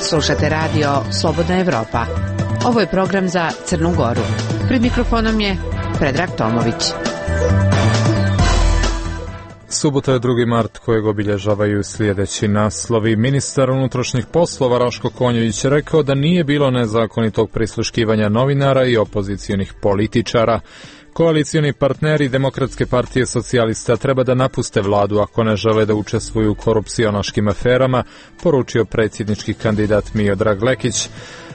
Slušate radio Slobodna Evropa. Ovo je program za Crnu Goru. Pred mikrofonom je Predrag Tomović. Subota je 2. mart kojeg obilježavaju sljedeći naslovi. Ministar unutrašnjih poslova Raško Konjević rekao da nije bilo nezakonitog prisluškivanja novinara i opozicionih političara. Koalicioni partneri Demokratske partije socijalista treba da napuste vladu ako ne žele da učestvuju u korupcionaškim aferama, poručio predsjednički kandidat Miodrag Lekić.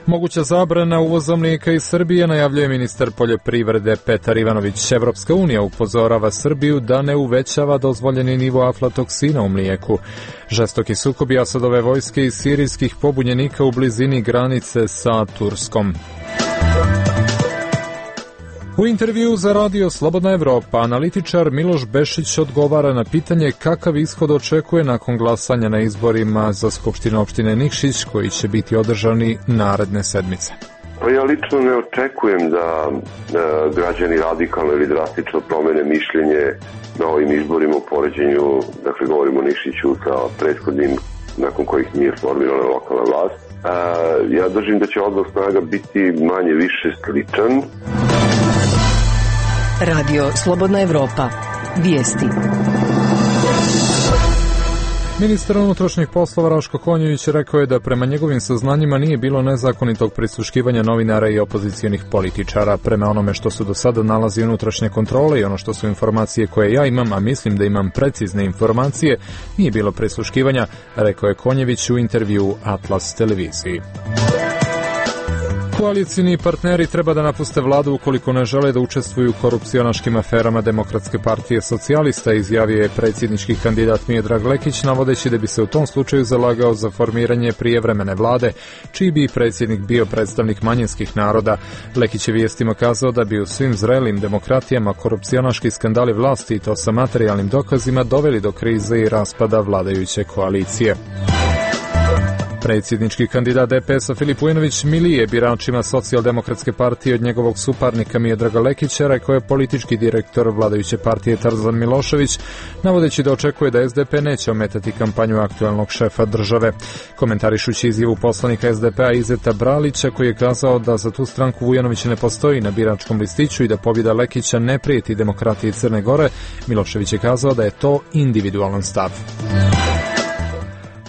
Moguća zabrana uvoza mlijeka iz Srbije najavljuje ministar poljoprivrede Petar Ivanović. Evropska unija upozorava Srbiju da ne uvećava dozvoljeni nivo aflatoksina u mlijeku. Žestoki sukobi Asadove vojske i sirijskih pobunjenika u blizini granice sa Turskom. U intervju za radio Slobodna Evropa analitičar Miloš Bešić odgovara na pitanje kakav ishod očekuje nakon glasanja na izborima za Skupštinu opštine Nikšić koji će biti održani naredne sedmice. Pa ja lično ne očekujem da građani radikalno ili drastično promene mišljenje na ovim izborima u poređenju, dakle govorimo o Nikšiću sa prethodnim nakon kojih nije formirana lokalna vlast. Ja držim da će odnos snaga biti manje više sličan. Radio Slobodna Evropa. Vijesti. Ministar unutrašnjih poslova Raško Konjević rekao je da prema njegovim saznanjima nije bilo nezakonitog prisluškivanja novinara i opozicionih političara. Prema onome što su do sada nalazi unutrašnje kontrole i ono što su informacije koje ja imam, a mislim da imam precizne informacije, nije bilo prisluškivanja, rekao je Konjević u intervju Atlas televiziji. Koalicijni partneri treba da napuste vladu ukoliko ne žele da učestvuju u korupcionaškim aferama Demokratske partije socijalista, izjavio je predsjednički kandidat Miodrag Lekić, navodeći da bi se u tom slučaju zalagao za formiranje prijevremene vlade, čiji bi predsjednik bio predstavnik manjinskih naroda. Lekić je vijestima kazao da bi u svim zrelim demokratijama korupcionaški skandali vlasti i to sa materijalnim dokazima doveli do krize i raspada vladajuće koalicije. Predsjednički kandidat DPS-a Filip Vujinović milije biračima Socijaldemokratske partije od njegovog suparnika Miodraga Lekića, rekao je politički direktor vladajuće partije Tarzan Milošević, navodeći da očekuje da SDP neće ometati kampanju aktualnog šefa države. Komentarišući izjavu poslanika SDP-a Izeta Bralića, koji je kazao da za tu stranku Vujinović ne postoji na biračkom listiću i da pobjeda Lekića ne prijeti demokratiji Crne Gore, Milošević je kazao da je to individualan stav.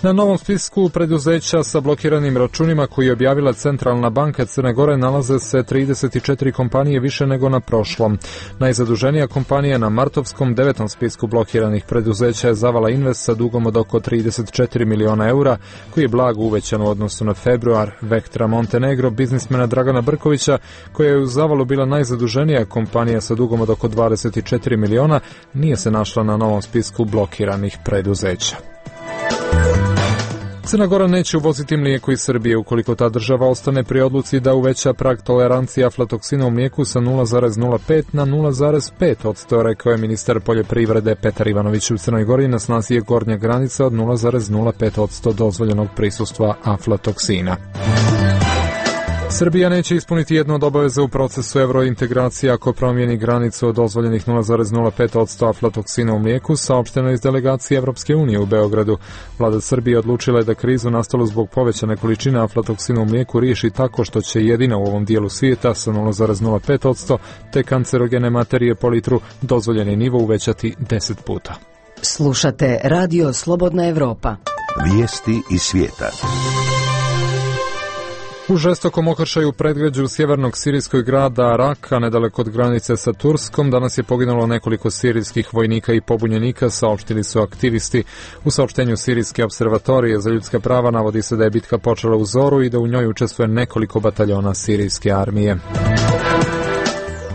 Na novom spisku preduzeća sa blokiranim računima koji je objavila Centralna banka Crne Gore nalaze se 34 kompanije više nego na prošlom. Najzaduženija kompanija na martovskom 9. spisku blokiranih preduzeća je Zavala Invest sa dugom od oko 34 miliona eura, koji je blago uvećan u odnosu na februar. Vektra Montenegro, biznismena Dragana Brkovića, koja je u Zavalu bila najzaduženija kompanija sa dugom od oko 24 miliona, nije se našla na novom spisku blokiranih preduzeća. Crna Gora neće uvoziti mlijeko iz Srbije ukoliko ta država ostane pri odluci da uveća prag tolerancije aflatoksina u mlijeku sa 0,05 na 0,5%, rekao je ministar poljoprivrede Petar Ivanović. U Crnoj Gori na snazi je gornja granica od 0,05% dozvoljenog prisustva aflatoksina. Srbija neće ispuniti jednu od obaveza u procesu evrointegracije ako promijeni granicu od dozvoljenih 0,05% aflatoksina u mlijeku, saopšteno iz delegacije Evropske unije u Beogradu. Vlada Srbije odlučila je da krizu nastalu zbog povećane količine aflatoksina u mlijeku riješi tako što će jedina u ovom dijelu svijeta sa 0,05% te kancerogene materije po litru dozvoljeni nivo uvećati 10 puta. Slušate Radio Slobodna Evropa. Vijesti iz svijeta. U žestokom okršaju u predgrađu sjevernog sirijskog grada Raka, nedaleko od granice sa Turskom, danas je poginulo nekoliko sirijskih vojnika i pobunjenika, saopštili su aktivisti. U saopštenju Sirijske observatorije za ljudska prava navodi se da je bitka počela u zoru i da u njoj učestvuje nekoliko bataljona sirijske armije.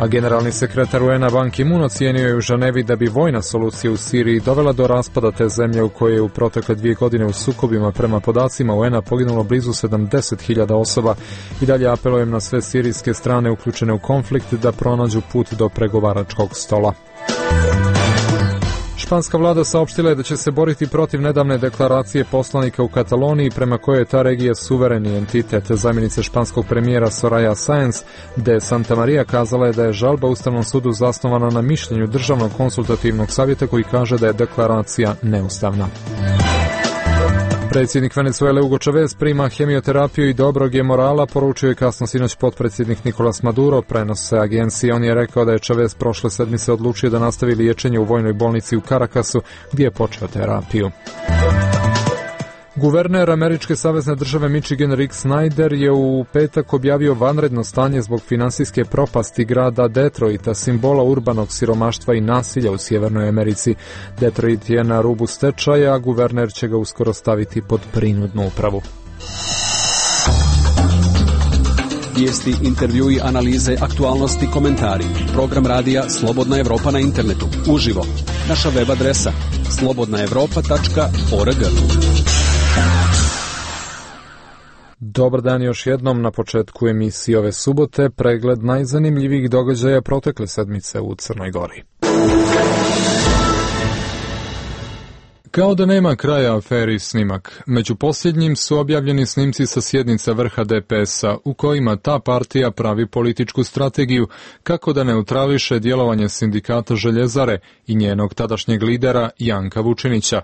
A generalni sekretar UN-a Ban Ki-moon ocijenio je u Ženevi da bi vojna solucija u Siriji dovela do raspada te zemlje u kojoj je u protekle 2 godine u sukobima prema podacima UN-a poginulo blizu 70.000 osoba. I dalje apelujem na sve sirijske strane uključene u konflikt da pronađu put do pregovaračkog stola. Španska vlada saopštila je da će se boriti protiv nedavne deklaracije poslanika u Kataloniji prema kojoj je ta regija suvereni entitet. Zamjenica španskog premijera Soraya Sáenz de Santamaría kazala je da je žalba Ustavnom sudu zasnovana na mišljenju Državnog konsultativnog savjeta koji kaže da je deklaracija neustavna. Predsjednik Venezuele Hugo Chavez prima hemioterapiju i dobrog je morala, poručio je kasno sinoć potpredsjednik Nicolas Maduro, prenose agencije. On je rekao da je Chavez prošle sedmice odlučio da nastavi liječenje u vojnoj bolnici u Caracasu, gdje je počeo terapiju. Guverner američke savezne države Michigan Rick Snyder je u petak objavio vanredno stanje zbog finansijske propasti grada Detroita, simbola urbanog siromaštva i nasilja u Sjevernoj Americi. Detroit je na rubu stečaja, a guverner će ga uskoro staviti pod prinudnu upravu. Vijesti, intervjui, analize, aktualnosti, komentari. Program radija Slobodna Evropa na internetu. Uživo. Naša web adresa slobodnaevropa.org. Dobar dan još jednom. Na početku emisije ove subote pregled najzanimljivijih događaja protekle sedmice u Crnoj Gori. Kao da nema kraja aferi Snimak. Među posljednjim su objavljeni snimci sa sjednica vrha DPS-a u kojima ta partija pravi političku strategiju kako da neutrališe djelovanje sindikata Željezare i njenog tadašnjeg lidera Janka Vučinića.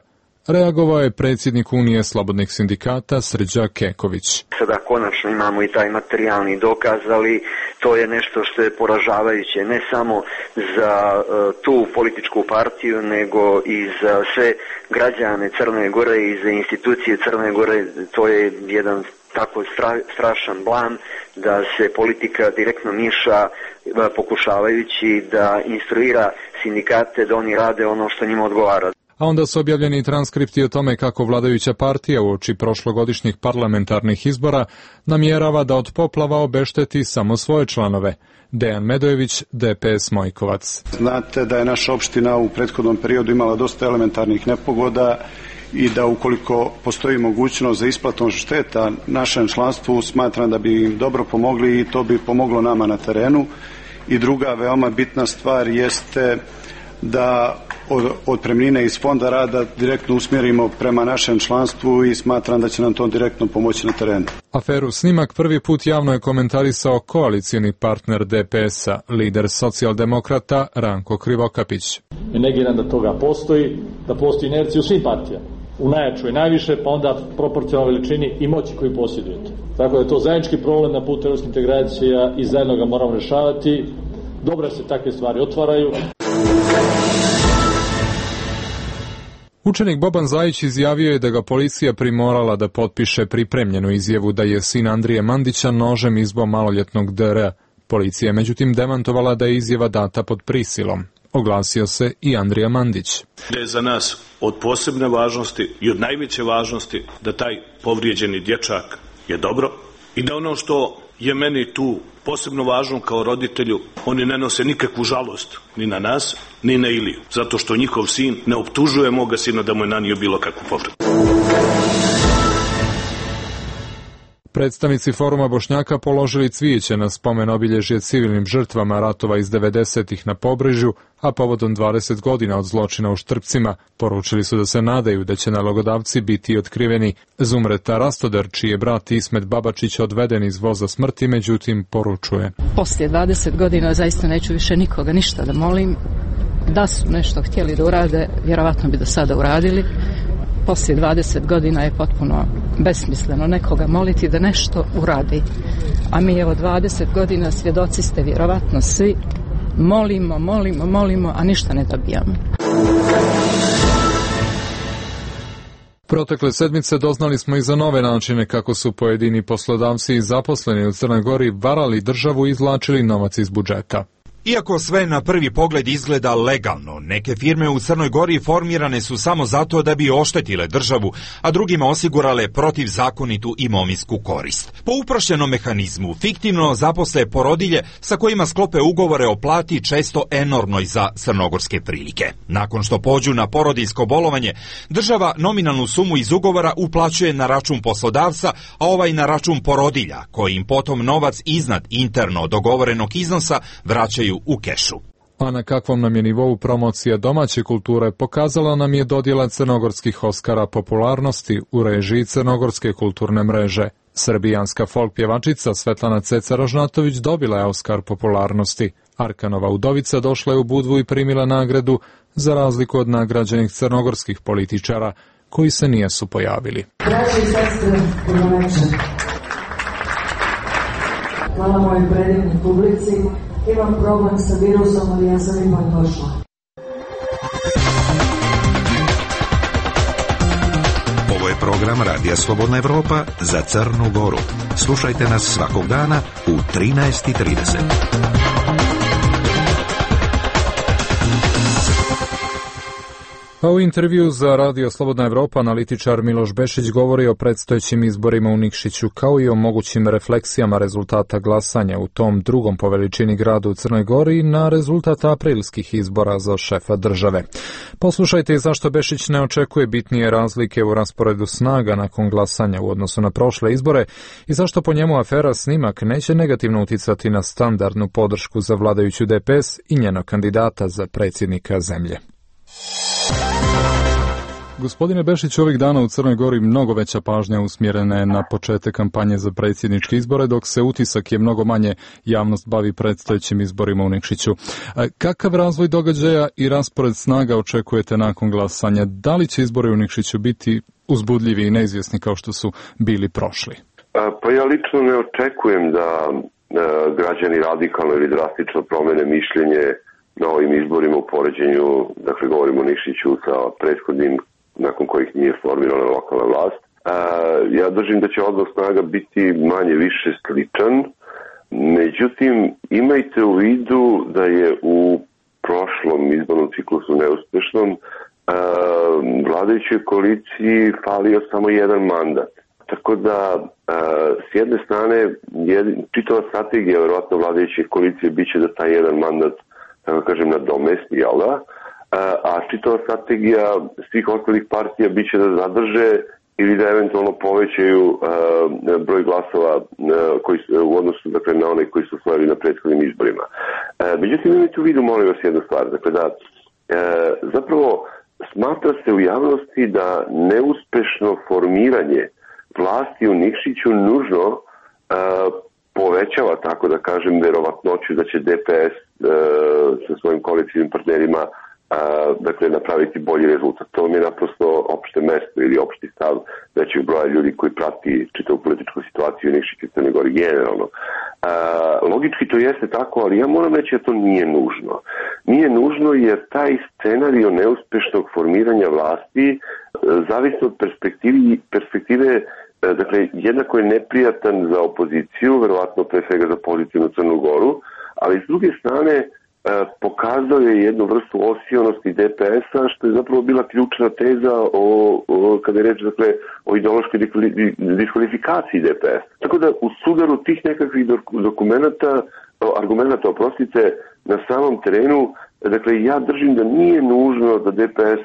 Reagovao je predsjednik Unije slobodnih sindikata Srđa Keković. Sada konačno imamo i taj materijalni dokaz, ali to je nešto što je poražavajuće ne samo za tu političku partiju, nego i za sve građane Crne Gore i za institucije Crne Gore. To je jedan tako strašan blam da se politika direktno miša pokušavajući da instruira sindikate da oni rade ono što njima odgovara. A onda su objavljeni transkripti o tome kako vladajuća partija uoči prošlogodišnjih parlamentarnih izbora namjerava da od poplava obešteti samo svoje članove. Dejan Medojević, DPS Mojkovac. Znate da je naša opština u prethodnom periodu imala dosta elementarnih nepogoda i da ukoliko postoji mogućnost za isplatom šteta našem članstvu, smatram da bi im dobro pomogli i to bi pomoglo nama na terenu. I druga veoma bitna stvar jeste da otpremnine iz fonda rada direktno usmjerimo prema našem članstvu i smatram da će nam to direktno pomoći na terenu. Aferu Snimak prvi put javno je komentarisao koalicijni partner DPS-a, lider socijaldemokrata Ranko Krivokapić. Ne negiram da toga postoji, da postoji inercija u svim partijama. U najjačoj najviše, pa onda proporcionalno veličini i moći koju posjedujete. Tako da je to zajednički problem na putu evropskih integracija i zajedno ga moramo rješavati. Dobro se takve stvari otvaraju. Učenik Boban Zajić izjavio je da ga policija primorala da potpiše pripremljenu izjavu da je sin Andrije Mandića nožem izbio maloljetnog DR. Policija je međutim demantovala da je izjava data pod prisilom. Oglasio se i Andrija Mandić. Da je za nas od posebne važnosti i od najveće važnosti da taj povrijeđeni dječak je dobro i da ono što je meni tu posebno važno kao roditelju, oni ne nose nikakvu žalost ni na nas, ni na Iliju, zato što njihov sin ne optužuje moga sina da mu je nanio bilo kakvu povredu. Predstavnici Foruma Bošnjaka položili cvijeće na spomen obilježje civilnim žrtvama ratova iz 90-ih na Pobrežju, a povodom 20 godina od zločina u Štrpcima poručili su da se nadaju da će nalogodavci biti otkriveni. Zumreta Rastoder, čiji je brat Ismet Babačić odveden iz voza smrti, međutim poručuje. Poslije 20 godina zaista neću više nikoga ništa da molim. Da su nešto htjeli da urade, vjerovatno bi do sada uradili. Poslije 20 godina je potpuno besmisleno nekoga moliti da nešto uradi. A mi evo 20 godina svjedoci ste vjerovatno svi. Molimo, a ništa ne dobijamo. Protekle sedmice doznali smo i za nove načine kako su pojedini poslodavci i zaposleni u Crnoj Gori varali državu i izvlačili novac iz budžeta. Iako sve na prvi pogled izgleda legalno, neke firme u Crnoj Gori formirane su samo zato da bi oštetile državu, a drugima osigurale protivzakonitu imovinsku korist. Po uprošćenom mehanizmu, fiktivno zaposle porodilje sa kojima sklope ugovore o plati često enormnoj za crnogorske prilike. Nakon što pođu na porodiljsko bolovanje, država nominalnu sumu iz ugovora uplaćuje na račun poslodavca, a ovaj na račun porodilja, koji im potom novac iznad interno dogovorenog iznosa vraćaju u kešu. A na kakvom nam je nivou promocija domaće kulture pokazala nam je dodjela crnogorskih Oskara popularnosti u režiji Crnogorske kulturne mreže. Srbijanska folk pjevačica Svetlana Ceca Rožnatović dobila je Oskar popularnosti. Arkanova udovica došla je u Budvu i primila nagradu za razliku od nagrađenih crnogorskih političara. koji se nijesu pojavili. Braći i sestre, dobro večer. Hvala mojoj predivnoj publici. Imam problem sa virusom, ali ja sam ipak došla. Ovo je program Radija Slobodna Evropa za Crnu Goru. Slušajte nas svakog dana u 13:30. A u intervju za Radio Slobodna Evropa analitičar Miloš Bešić govori o predstojećim izborima u Nikšiću kao i o mogućim refleksijama rezultata glasanja u tom drugom po veličini gradu u Crnoj Gori na rezultat aprilskih izbora za šefa države. Poslušajte i zašto Bešić ne očekuje bitnije razlike u rasporedu snaga nakon glasanja u odnosu na prošle izbore i zašto po njemu afera Snimak neće negativno uticati na standardnu podršku za vladajuću DPS i njenog kandidata za predsjednika zemlje. Gospodine Bešić, ovih dana u Crnoj Gori mnogo veća pažnja usmjerena je na početak kampanje za predsjedničke izbore, dok se utisak je mnogo manje javnost bavi predstojećim izborima u Nikšiću. Kakav razvoj događaja i raspored snaga očekujete nakon glasanja? Da li će izbori u Nikšiću biti uzbudljivi i neizvjesni kao što su bili prošli? Pa ja lično ne očekujem da građani radikalno ili drastično promene mišljenje na ovim izborima u poređenju, dakle govorimo o Nikšiću sa prethodnim nakon kojih nije formirana lokalna vlast. Ja držim da će odnos snaga biti manje više sličan, međutim imajte u vidu da je u prošlom izbornom ciklusu neuspešnom vladajućoj koaliciji falio samo jedan mandat. Tako da s jedne strane čitava strategija verovatno vladajuće koalicije biće da taj jedan mandat, tako kažem, nadomesti, jel da? A čitava strategija svih ostalih partija biće da zadrže ili da eventualno povećaju broj glasova koji u odnosu, dakle, na one koji su osvojili na prethodnim izborima. Međutim, imajte u vidu, molim vas, jednu stvar, dakle da zapravo smatra se u javnosti da neuspešno formiranje vlasti u Nikšiću nužno povećava, tako da kažem, verovatnoću da će DPS sa svojim koalicijnim partnerima dakle napraviti bolji rezultat. To mi je naprosto opšte mesto ili opšti stav većeg broja ljudi koji prati čitavu političku situaciju u Nikšiću i Crnoj Gori generalno. Logički to jeste tako, ali ja moram reći da to nije nužno. Nije nužno jer taj scenario neuspešnog formiranja vlasti zavisi od perspektive, dakle jednako je neprijatan za opoziciju, verovatno pre svega za pozitivnu Crnu Goru, ali s druge strane pokazao je jednu vrstu osionosti DPS-a, što je zapravo bila ključna teza kada je reč, dakle, o ideološkoj diskvalifikaciji DPS. Tako da u sudaru tih nekakvih argumenta, na samom terenu, dakle, ja držim da nije nužno da DPS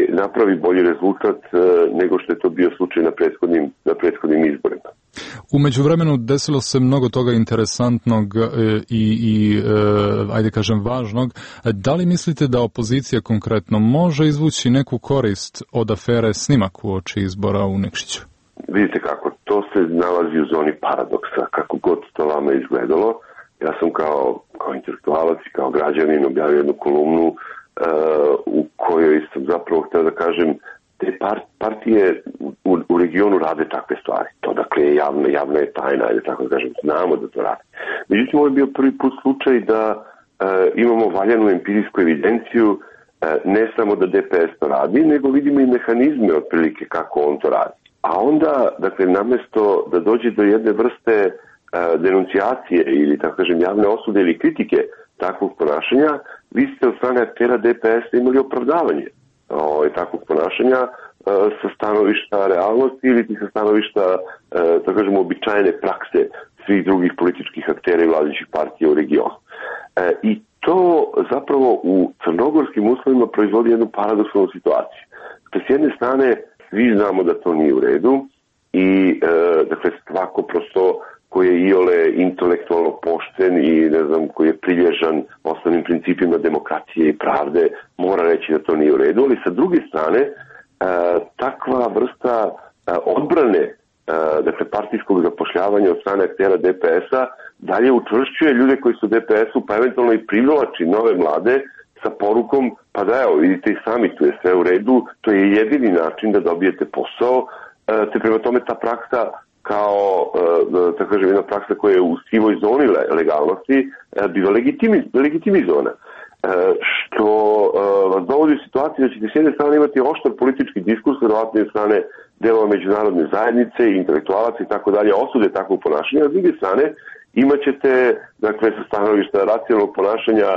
napravi bolji rezultat nego što je to bio slučaj na prethodnim izborima. U međuvremenu desilo se mnogo toga interesantnog i ajde kažem važnog. Da li mislite da opozicija konkretno može izvući neku korist od afere Snimak uoči izbora u Nikšiću? Vidite kako, to se nalazi u zoni paradoksa, kako god to vama izgledalo. Ja sam kao intelektualac i kao građanin objavio jednu kolumnu u kojoj sam zapravo htio da kažem te partije u regionu rade takve stvari. To dakle je javna je tajna, ili tako da kažem, znamo da to rade. Međutim, ovo je bio prvi put slučaj da imamo valjanu empirijsku evidenciju, ne samo da DPS to radi, nego vidimo i mehanizme otprilike kako on to radi. A onda, dakle, namesto da dođe do jedne vrste denuncijacije ili, tako kažem, javne osude ili kritike takvog ponašanja, vi ste od strane aktera DPS imali opravdavanje takvog ponašanja sa stanovišta realnosti ili sa stanovišta, tako kažemo, običajne prakse svih drugih političkih aktera i vladajućih partija u regionu. I to zapravo u crnogorskim uslovima proizvodi jednu paradoksalnu situaciju. Dakle, s jedne strane, svi znamo da to nije u redu i, dakle, svako prosto koji je iole intelektualno pošten i, ne znam, koji je prilježan osnovnim principima demokracije i pravde, mora reći da to nije u redu, ali sa druge strane, takva vrsta odbrane, dakle, partijskog zapošljavanja od strane aktera DPS-a dalje učvršćuje ljude koji su DPS-u, pa eventualno i privlači nove mlade sa porukom, pa da evo, vidite i sami, tu je sve u redu, to je jedini način da dobijete posao, te prema tome ta praksa kao, tako kažem, jedna praksa koja je u sivoj zoni legalnosti, biva legitimizovana. Što vas dovodi u situaciju da ćete s jedne strane imati oštar politički diskurs, verovatno od strane delova međunarodne zajednice, intelektualaca i tako dalje, osude takvog ponašanja, a s druge strane imat ćete, dakle, sa stanovišta racionalnog ponašanja,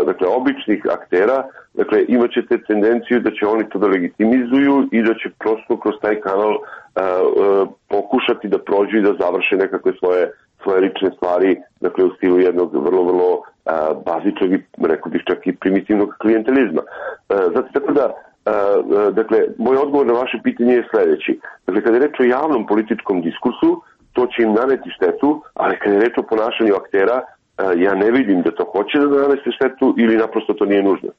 dakle, običnih aktera, dakle, imat ćete tendenciju da će oni to da legitimizuju i da će prosto kroz taj kanal pokušati da prođu i da završe nekakve svoje lične stvari, dakle, u stilu jednog vrlo bazičnog i, rekao bih, čak i primitivnog klijentelizma. Zato tako da, dakle, moj odgovor na vaše pitanje je sledeći. Dakle, kada je reč o javnom političkom diskursu, to će im naneti štetu, ali kada je reč o ponašanju aktera, ja ne vidim da to hoće da nanese štetu ili naprosto to nije nužno.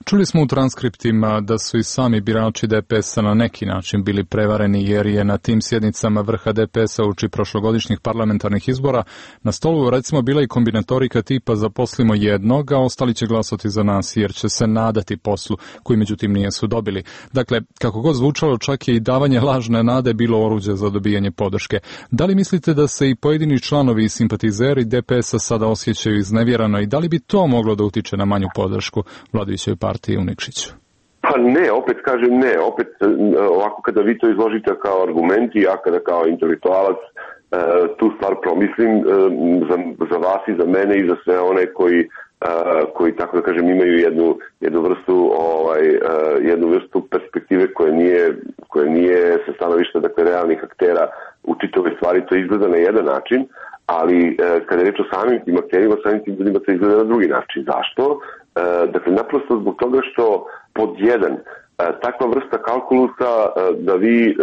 Čuli smo u transkriptima da su i sami birači DPS-a na neki način bili prevareni, jer je na tim sjednicama vrha DPS-a uoči prošlogodišnjih parlamentarnih izbora na stolu recimo bila i kombinatorika tipa zaposlimo jednog, a ostali će glasati za nas jer će se nadati poslu, koji međutim nisu dobili. Dakle, kako god zvučalo, čak je i davanje lažne nade bilo oruđe za dobijanje podrške. Da li mislite da se i pojedini članovi i simpatizeri DPS-a sada osjećaju iznevjerano i da li bi to moglo da utiče na manju podršku vladajućoj partiji u Nikšiću? Pa ne, opet kažem ne. Opet ovako kada vi to izložite kao argument i ja kada kao intelektualac tu stvar promislim za vas i za mene i za sve one koji tako da kažem imaju jednu vrstu perspektive koja nije sa stanovišta, dakle, realnih aktera u čitavoj stvari, to izgleda na jedan način, ali kada je reč o samim tim akterima, samim tim ljudima to izgleda na drugi način. Zašto? Dakle, naprosto zbog toga što pod jedan, takva vrsta kalkulusa da vi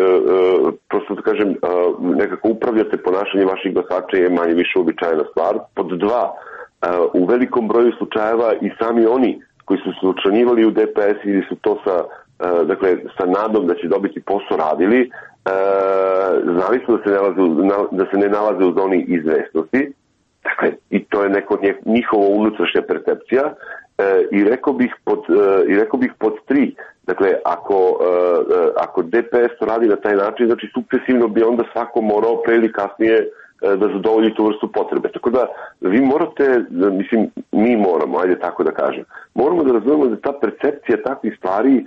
prosto da kažem nekako upravljate ponašanje vaših glasača je manje više uobičajena stvar. Pod dva, u velikom broju slučajeva i sami oni koji su se učlanjivali u DPS ili su to sa nadom da će dobiti posao radili, znali su da se ne nalaze u zoni izvesnosti. Dakle, i to je njihova unutrašnja percepcija. I rekao bih pod tri. Dakle, ako DPS to radi na taj način, znači sukcesivno bi onda svako morao pre ili kasnije da zadovolji tu vrstu potrebe. Tako da vi morate, mi moramo, ajde tako da kažem, moramo da razumemo da ta percepcija takvih stvari,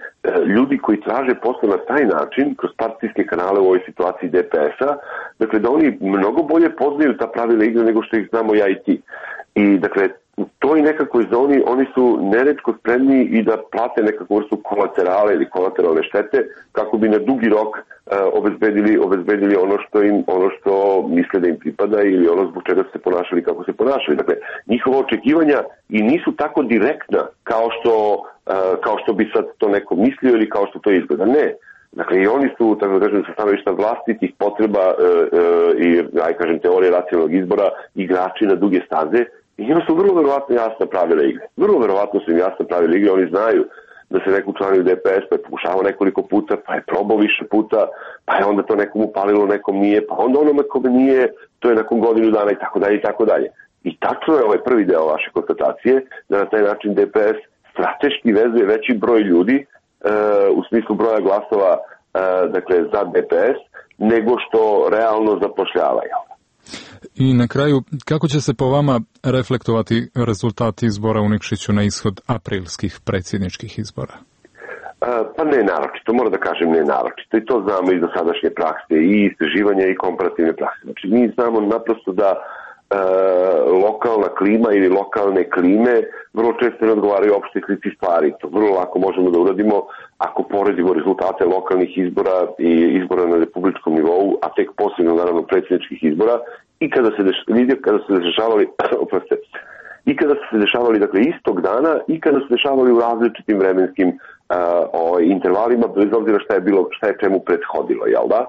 ljudi koji traže posao na taj način, kroz partijske kanale u ovoj situaciji DPS-a, dakle da oni mnogo bolje poznaju ta pravila igre nego što ih znamo ja i ti. I dakle, u toj nekakvoj zoni oni su neretko spremni i da plate nekakvu vrstu kolaterale ili kolateralne štete kako bi na dugi rok obezbedili ono što misle da im pripada ili ono zbog čega su se ponašali kako se ponašali. Dakle, njihova očekivanja i nisu tako direktna kao što bi sad to neko mislio ili kao što to izgleda. Ne. Dakle, i oni su, tako da kažem, sa stanovišta vlastitih potreba i, teorije racionalnog izbora igrači na duge staze. I njima su vrlo verovatno jasna pravila igre. Vrlo verovatno su im jasna pravila igre. Oni znaju da se neko učlanio u DPS, pa je pokušavao nekoliko puta, pa je probao više puta, pa je onda to nekom upalilo, nekom nije, pa onda onome kome nije, to je nakon godinu dana i tako dalje i tako dalje. I tačno je ovaj prvi deo vaše konstatacije, da na taj način DPS strateški vezuje veći broj ljudi u smislu broja glasova, dakle, za DPS, nego što realno zapošljavaju. I na kraju, kako će se po vama reflektovati rezultati izbora u Nikšiću na ishod aprilskih predsjedničkih izbora? Pa ne naročito, moram da kažem ne naročito. I to znamo iz dosadašnje prakse i istraživanja i komparativne prakse. Znači, mi znamo naprosto da lokalna klima ili lokalne klime vrlo često ne odgovaraju opštoj slici stvari. To vrlo lako možemo da uradimo ako poredimo rezultate lokalnih izbora i izbora na republičkom nivou, a tek posebno naravno predsjedničkih izbora i kada su se dešavali dakle istog dana i kada su dešavali u različitim vremenskim intervalima, bez obzira šta je čemu prethodilo, jel da?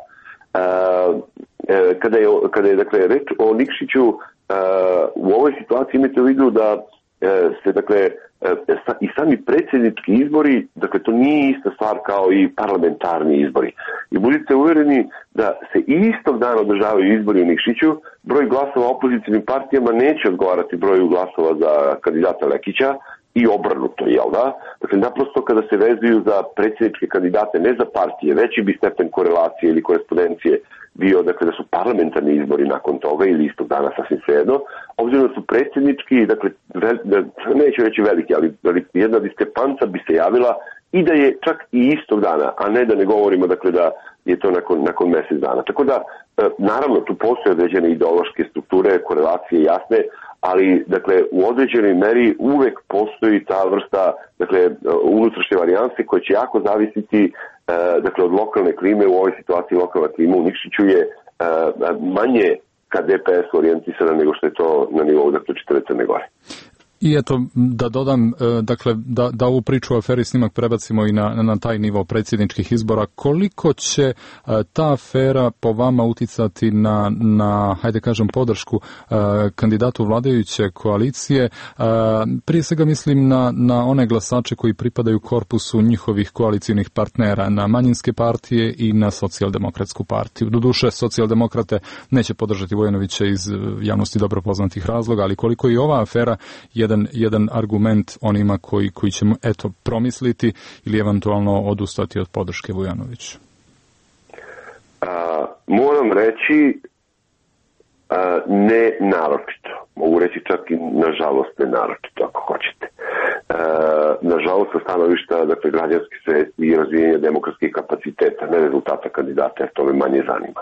Kada je dakle reč o Nikšiću, u ovoj situaciji imate u vidu da se dakle i sami predsjednički izbori, dakle to nije ista stvar kao i parlamentarni izbori. I budite uvereni da se istog dana održavaju izbori u Nikšiću, broj glasova opozicijnim partijama neće odgovarati broju glasova za kandidata Lekića i obrnuto, jel da? Dakle, naprosto kada se vezuju za predsjedničke kandidate, ne za partije, veći bi stepen korelacije ili korespondencije bio, dakle, da su parlamentarni izbori nakon toga ili istog dana, sasvim svejedno, obzirom da su predsjednički, dakle, neću reći veliki, ali jedna diskrepanca bi se javila i da je čak i istog dana, a ne da ne govorimo, dakle, da je to nakon mjesec dana. Tako da, naravno, tu postoje određene ideološke strukture, korelacije jasne, ali, dakle, u određenoj meri uvek postoji ta vrsta, dakle, unutrašnje varijanse koje će jako zavisiti, dakle, od lokalne klime. U ovoj situaciji lokalna klima u Nikšiću je manje ka DPS orijentisana nego što je to na nivou, dakle, čitave Crne Gore. I eto, da dodam, dakle, da ovu priču o aferi Snimak prebacimo i na taj nivo predsjedničkih izbora. Koliko će ta afera po vama uticati na hajde kažem, podršku kandidatu vladajuće koalicije? Prije svega mislim na one glasače koji pripadaju korpusu njihovih koalicijnih partnera, na manjinske partije i na socijaldemokratsku partiju. Doduše, socijaldemokrate neće podržati Vujanovića iz javnosti dobro poznatih razloga, ali koliko i ova afera jedan argument onima koji će promisliti ili eventualno odustati od podrške Vujanoviću? Moram reći ne naročito. Mogu reći čak i nažalost ne naročito, ako hoćete. Nažalost, sa stanovišta, dakle, građanske svesti i razvijenja demokratskih kapaciteta, ne rezultata kandidata, jer to me manje zanima.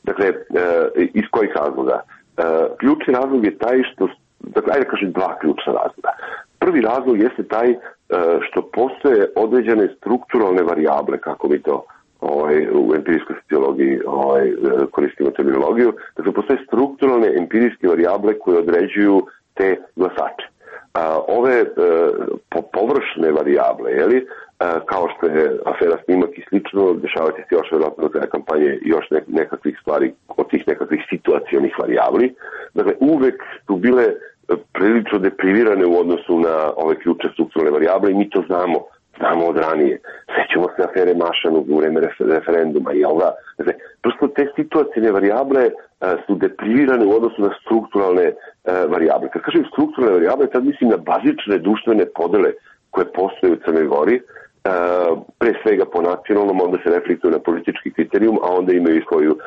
Dakle, iz kojih razloga? Ključni razlog je taj što, dakle, ajde kažem dva ključna razloga. Prvi razlog jeste taj što postoje određene strukturalne varijable, kako mi to u empirijskoj sociologiji koristimo terminologiju. Dakle, postoje strukturalne empirijske varijable koje određuju te glasače. Ove površne varijable, kao što je afera Snimak i slično, dešavati se još vjerojatno za kampanje još nekakvih stvari od tih nekakvih situacionih varijabli. Dakle, uvek su bile prilično deprivirane u odnosu na ove ključne strukturalne varijable i mi to znamo od ranije. Sećamo se afere Mašanog u vreme referenduma, jel da? Dakle, prosto te situacijne varijable su deprivirane u odnosu na strukturalne varijable. Kad kažem strukturalne varijable, tad mislim na bazične društvene podele koje postoje u Crnoj Gori, pre svega po nacionalnom, onda se reflektuju na politički kriterijum, a onda imaju i svoju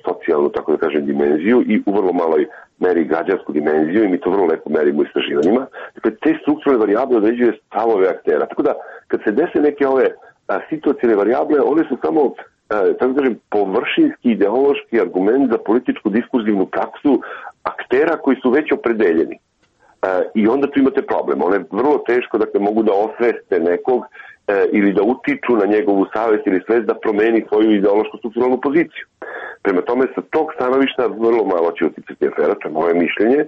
socijalnu, tako da kažem, dimenziju i u vrlo maloj meri građansku dimenziju i mi to vrlo lepo merimo u istraživanjima. Dakle, te strukturne varijable određuju stavove aktera. Tako da, kad se dese neke ove situacijne varijable, one su samo, tako da kažem, površinski ideološki argument za političku diskurzivnu praksu aktera koji su već opredeljeni. I onda tu imate problem. One vrlo teško, dakle, mogu da osveste nekog ili da utiču na njegovu savest ili svest da promeni svoju ideološku strukturalnu poziciju. Prema tome, sa tog stanovišta vrlo malo će uticati afera, to je moje mišljenje.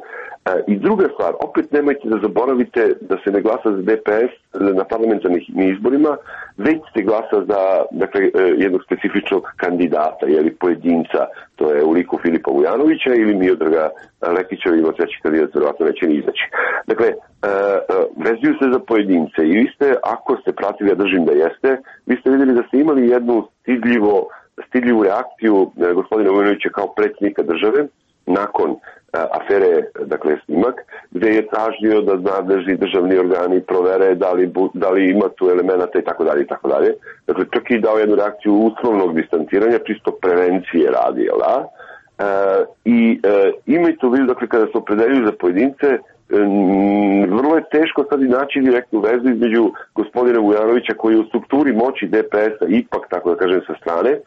I druga stvar, opet nemojte da zaboravite da se ne glasa za DPS na parlamentarnim izborima, već se glasa za, dakle, jednog specifičnog kandidata, pojedinca, to je u liku Filipa Vujanovića ili Miodraga Lekića, ima treći kandidat, verovatno neće ni izaći. Dakle, vezuju se za pojedince i vi ste, ako ste pratili, ja držim da jeste, vi ste vidjeli da ste imali jednu stidljivu reakciju gospodina Vujanovića kao predsjednika države nakon afere, dakle, Snimak, gde je tražio da nadležni državni organi provere da li ima tu elemenata i tako dalje i tako dalje. Dakle, čak i dao jednu reakciju uslovnog distanciranja, čisto prevencije radi, jel da? I imajte u vidu, dakle, kada se opredeljuju za pojedince, vrlo je teško sad i naći direktnu vezu između gospodina Vujanovića koji je u strukturi moći DPS-a ipak, tako da kažem, sa strane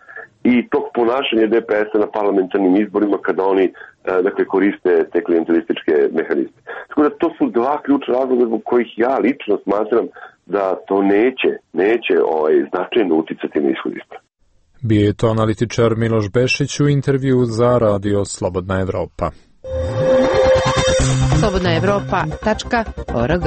i tog ponašanja DPS-a na parlamentarnim izborima kada oni, dakle, koriste te klijentelističke mehanizme. Tako da to su dva ključna razloga zbog kojih ja lično smatram da to neće značajno uticati na ishod izbora. Bio je to analitičar Miloš Bešić u intervju za Radio Slobodna Evropa. slobodnaevropa.org.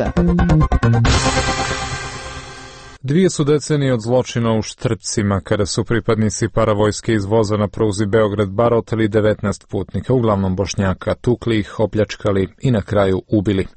2 su decenije od zločina u Štrpcima, kada su pripadnici paravojske iz voza na pruzi Beograd-Bar oteli 19 putnika, uglavnom Bošnjaka, tukli ih, opljačkali i na kraju ubili.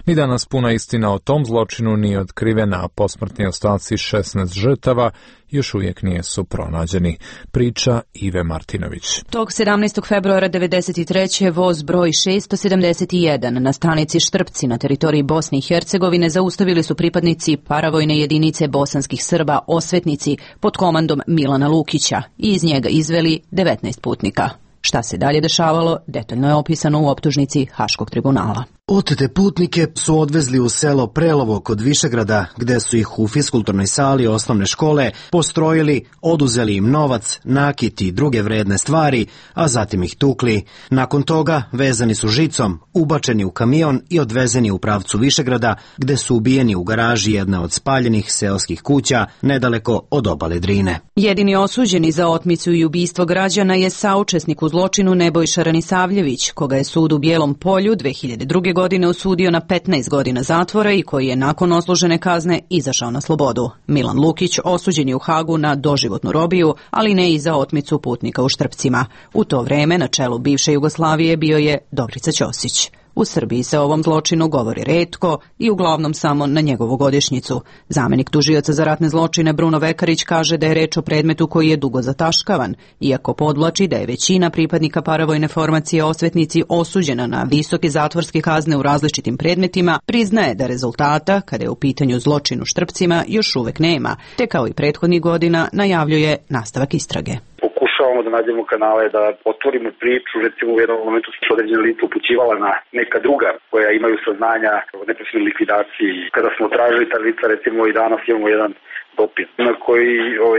Ni danas puna istina o tom zločinu nije otkrivena, a posmrtni ostaci 16 žrtava još uvijek nisu pronađeni. Priča Ive Martinović. Tog 17. februara 1993. voz broj 671 na stanici Štrpci na teritoriji Bosne i Hercegovine zaustavili su pripadnici paravojne jedinice bosanskih Srba Osvetnici pod komandom Milana Lukića i iz njega izveli 19 putnika. Šta se dalje dešavalo, detaljno je opisano u optužnici Haškog tribunala. Otete putnike su odvezli u selo Prelovo kod Višegrada, gde su ih u fiskulturnoj sali osnovne škole postrojili, oduzeli im novac, nakit i druge vredne stvari, a zatim ih tukli. Nakon toga vezani su žicom, ubačeni u kamion i odvezeni u pravcu Višegrada, gde su ubijeni u garaži jedne od spaljenih seoskih kuća nedaleko od obale Drine. Jedini osuđeni za otmicu i ubistvo građana je saučesnik u zločinu Nebojša Ranisavljević, koga je sud u Bijelom Polju 2002. godine osudio na 15 godina zatvora i koji je nakon odslužene kazne izašao na slobodu. Milan Lukić osuđen je u Hagu na doživotnu robiju, ali ne i za otmicu putnika u Štrpcima. U to vreme na čelu bivše Jugoslavije bio je Dobrica Ćosić. U Srbiji se o ovom zločinu govori retko i uglavnom samo na njegovu godišnjicu. Zamenik tužioca za ratne zločine Bruno Vekarić kaže da je reč o predmetu koji je dugo zataškavan, iako podvlači da je većina pripadnika paravojne formacije Osvetnici osuđena na visoke zatvorske kazne u različitim predmetima, priznaje da rezultata, kada je u pitanju zločin u Štrpcima, još uvek nema, te kao i prethodnih godina najavljuje nastavak istrage. Pokušavamo da nađemo kanale, da otvorimo priču, recimo u jednom momentu su određene lice upućivala na neka druga koja imaju saznanja o neposrednoj likvidaciji. Kada smo tražili ta lica, recimo i danas imamo jedan dopis na koji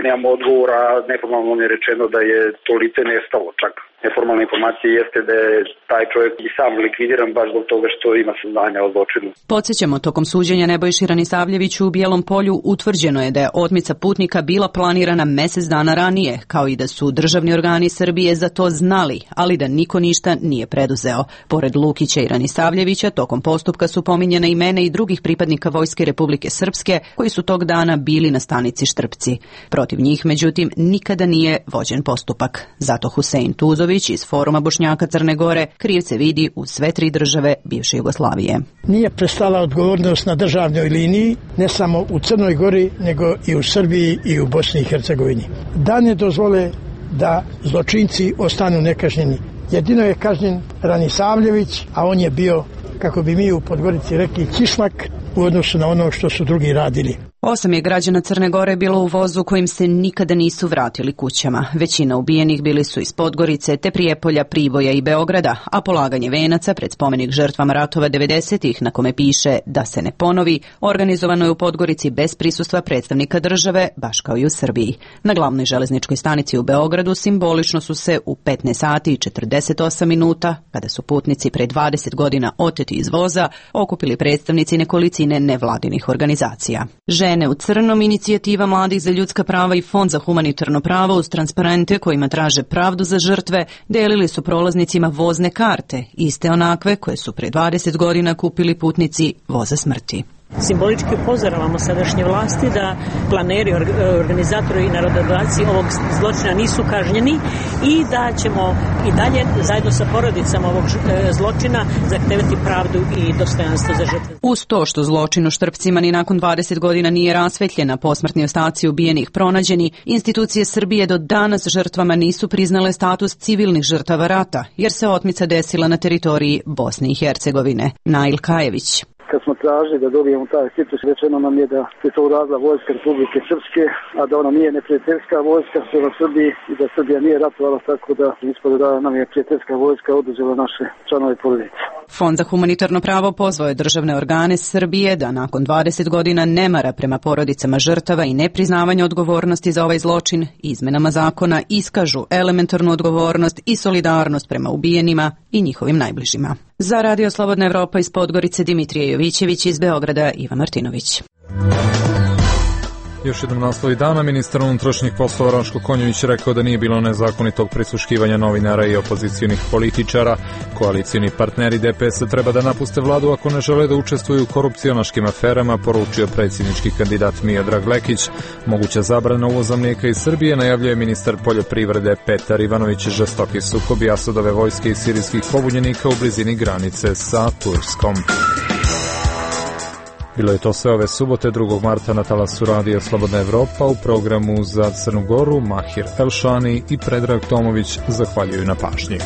nemamo odgovora, neformalno je rečeno da je to lice nestalo čak. Neformalna informacija jeste da je taj čovjek i sam likvidiran baš zbog toga što ima saznanja o zločinu. Podsjećamo, tokom suđenja Nebojši Ranisavljeviću u Bijelom Polju utvrđeno je da je otmica putnika bila planirana mesec dana ranije, kao i da su državni organi Srbije za to znali, ali da niko ništa nije preduzeo. Pored Lukića i Ranisavljevića, tokom postupka su pominjene imena i drugih pripadnika Vojske Republike Srpske koji su tog dana bili na stanici Štrpci. Protiv njih, međutim, nikada nije vođen postupak. Zato Husein Tuzović iz Foruma Bošnjaka Crne Gore krivce vidi u sve tri države bivše Jugoslavije. Nije prestala odgovornost na državnoj liniji, ne samo u Crnoj Gori, nego i u Srbiji i u Bosni i Hercegovini. Da ne dozvole da zločinci ostanu nekažnjeni. Jedino je kažnjen Ranisavljević, a on je bio, kako bi mi u Podgorici rekli, kišlak u odnosu na ono što su drugi radili. 8 je građana Crne Gore bilo u vozu kojim se nikada nisu vratili kućama. Većina ubijenih bili su iz Podgorice, te Prijepolja, Priboja i Beograda, a polaganje venaca pred spomenik žrtvama ratova 90-ih, na kome piše da se ne ponovi, organizovano je u Podgorici bez prisustva predstavnika države, baš kao i u Srbiji. Na glavnoj železničkoj stanici u Beogradu simbolično su se u 15 sati i 48 minuta, kada su putnici pre 20 godina oteti iz voza, okupili predstavnici nekolicine nevladinih organizacija. Žene u crnom, inicijativa mladih za ljudska prava i Fond za humanitarno pravo uz transparente kojima traže pravdu za žrtve delili su prolaznicima vozne karte, iste onakve koje su pre 20 godina kupili putnici voza smrti. Simbolički upozoravamo sadašnje vlasti da planeri, organizatori i narododavci ovog zločina nisu kažnjeni i da ćemo i dalje zajedno sa porodicama ovog zločina zahtevati pravdu i dostojanstvo za žrtve. Uz to što zločin u Štrpcima ni nakon 20 godina nije rasvetljena, posmrtni ostaci ubijenih pronađeni, institucije Srbije do danas žrtvama nisu priznale status civilnih žrtava rata, jer se otmica desila na teritoriji Bosne i Hercegovine. Nail Kajević. Kad smo tražili da dobijemo taj status, rečeno nam je da je to uradila Vojska Republike Srpske, a da ona nije neprijateljska vojska prema Srbiji i da Srbija nije ratovala, tako da ispod da nam je prijateljska vojska oduzela naše članove porodice. Fond za humanitarno pravo pozvao je državne organe Srbije da nakon 20 godina nemara prema porodicama žrtava i nepriznavanja odgovornosti za ovaj zločin izmenama zakona iskažu elementarnu odgovornost i solidarnost prema ubijenima i njihovim najbližima. Za Radio Slobodna Evropa iz Podgorice Dimitrije Jovićević, iz Beograda Iva Martinović. Još jednom naslovi dana, ministar unutrašnjih poslova Raško Konjović rekao da nije bilo nezakonitog prisluškivanja novinara i opozicionih političara. Koalicijni partneri DPS-a treba da napuste vladu ako ne žele da učestvuju u korupcionaškim aferama, poručio predsjednički kandidat Miodrag Lekić. Moguća zabrana uvoza mlijeka iz Srbije najavljuje ministar poljoprivrede Petar Ivanović. Žestoki sukobi Asadove vojske i sirijskih pobunjenika u blizini granice sa Turskom. Bilo je to sve ove subote 2. marta na talasu Radija Slobodna Evropa. U programu za Crnu Goru Mahir Elšani i Predrag Tomović zahvaljuju na pažnji.